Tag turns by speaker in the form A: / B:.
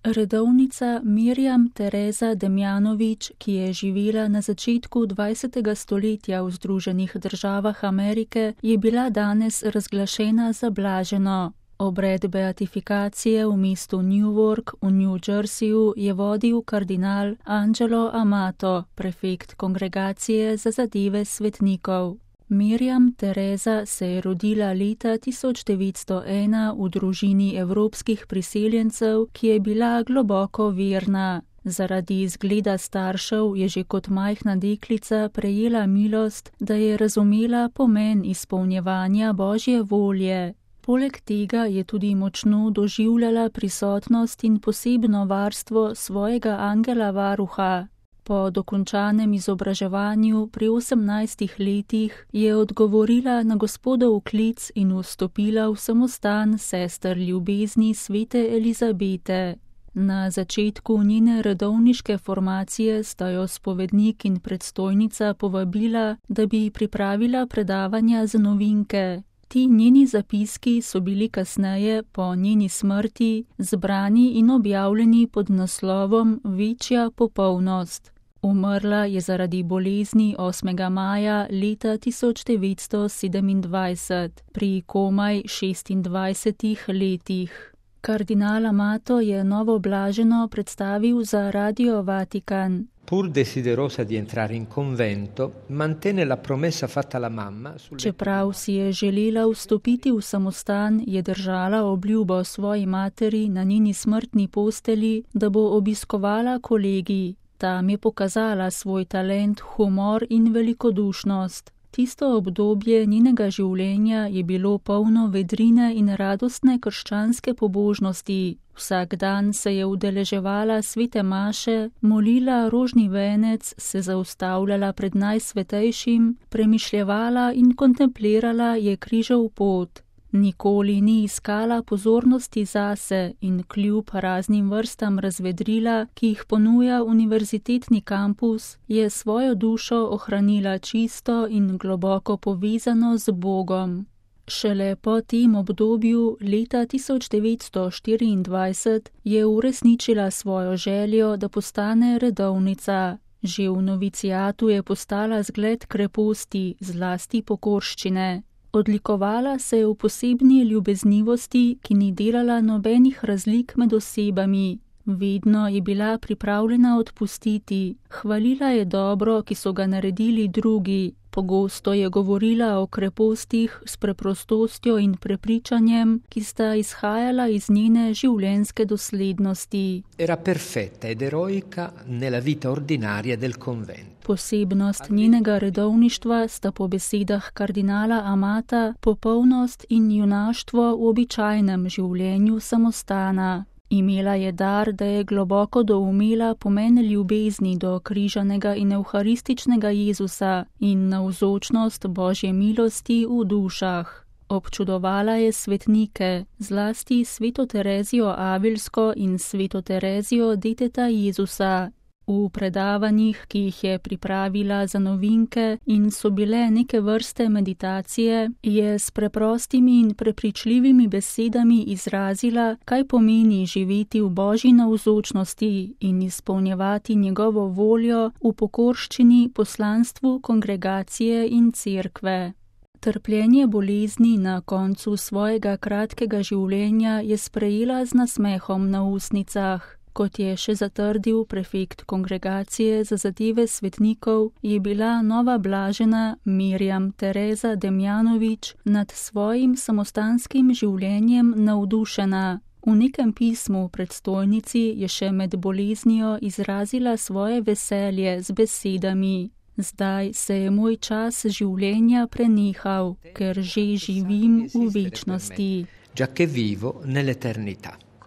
A: Redovnica Mirjam Tereza Demjanović, ki je živela na začetku 20. stoletja v Združenih državah Amerike, je bila danes razglašena za blaženo. Obred beatifikacije v mestu Newark v New Jerseyju je vodil kardinal Angelo Amato, prefekt kongregacije za zadeve svetnikov. Mirjam Tereza se je rodila leta 1901 v družini evropskih priseljencev, ki je bila globoko verna. Zaradi izgleda staršev je že kot majhna deklica prejela milost, da je razumela pomen izpolnjevanja Božje volje. Poleg tega je tudi močno doživljala prisotnost in posebno varstvo svojega angela varuha. Po dokončanem izobraževanju pri 18 letih je odgovorila na Gospodov klic in vstopila v samostan sester ljubezni svete Elizabete. Na začetku njene redovniške formacije sta jo spovednik in predstojnica povabila, da bi pripravila predavanja za novinke. Ti njeni zapiski so bili kasneje, po njeni smrti, zbrani in objavljeni pod naslovom Večja popolnost. Umrla je zaradi bolezni 8. maja leta 1927 pri komaj 26 letih. Kardinal Amato je novo blaženo predstavil za Radio Vatikan.
B: Pur desiderosa di entrare in convento, mantenne la promessa fatta alla mamma.
A: Čeprav si je želela vstopiti v samostan, je držala obljubo svoji materi na njeni smrtni posteli, da bo obiskovala kolegij. Tam je pokazala svoj talent, humor in velikodušnost. Tisto obdobje njenega življenja je bilo polno vedrine in radostne krščanske pobožnosti. Vsak dan se je udeleževala svete maše, molila rožni venec, se zaustavljala pred Najsvetejšim, premišljevala in kontemplirala je križev pot. Nikoli ni iskala pozornosti zase in kljub raznim vrstam razvedrila, ki jih ponuja univerzitetni kampus, je svojo dušo ohranila čisto in globoko povezano z Bogom. Šele po tem obdobju, leta 1924, je uresničila svojo željo, da postane redovnica. Že v novicijatu je postala zgled kreposti, zlasti pokorščine. Odlikovala se je v posebni ljubeznivosti, ki ni delala nobenih razlik med osebami. Vedno je bila pripravljena odpustiti, hvalila je dobro, ki so ga naredili drugi. Pogosto je govorila o krepostih s preprostostjo in prepričanjem, ki sta izhajala iz njene življenjske doslednosti.
B: Era perfetta ed eroica nella vita ordinaria del convento.
A: Posebnost njenega redovništva sta po besedah kardinala Amata popolnost in junaštvo v običajnem življenju samostana. Imela je dar, da je globoko doumela pomen ljubezni do križanega in evharističnega Jezusa in navzočnost Božje milosti v dušah. Občudovala je svetnike, zlasti sveto Terezijo Avilsko in sveto Terezijo deteta Jezusa. V predavanjih, ki jih je pripravila za novinke in so bile neke vrste meditacije, je s preprostimi in prepričljivimi besedami izrazila, kaj pomeni živeti v Božji navzočnosti in izpolnjevati njegovo voljo v pokorščini poslanstvu kongregacije in cerkve. Trpljenje bolezni na koncu svojega kratkega življenja je sprejela z nasmehom na ustnicah. Kot je še zatrdil prefekt kongregacije za zadeve svetnikov, je bila nova blažena Mirjam Tereza Demjanović nad svojim samostanskim življenjem navdušena. V nekem pismu predstojnici je še med boleznijo izrazila svoje veselje z besedami: Zdaj se je moj čas življenja prenehal, ker že živim v večnosti.
B: Già che vivo nell'eternità.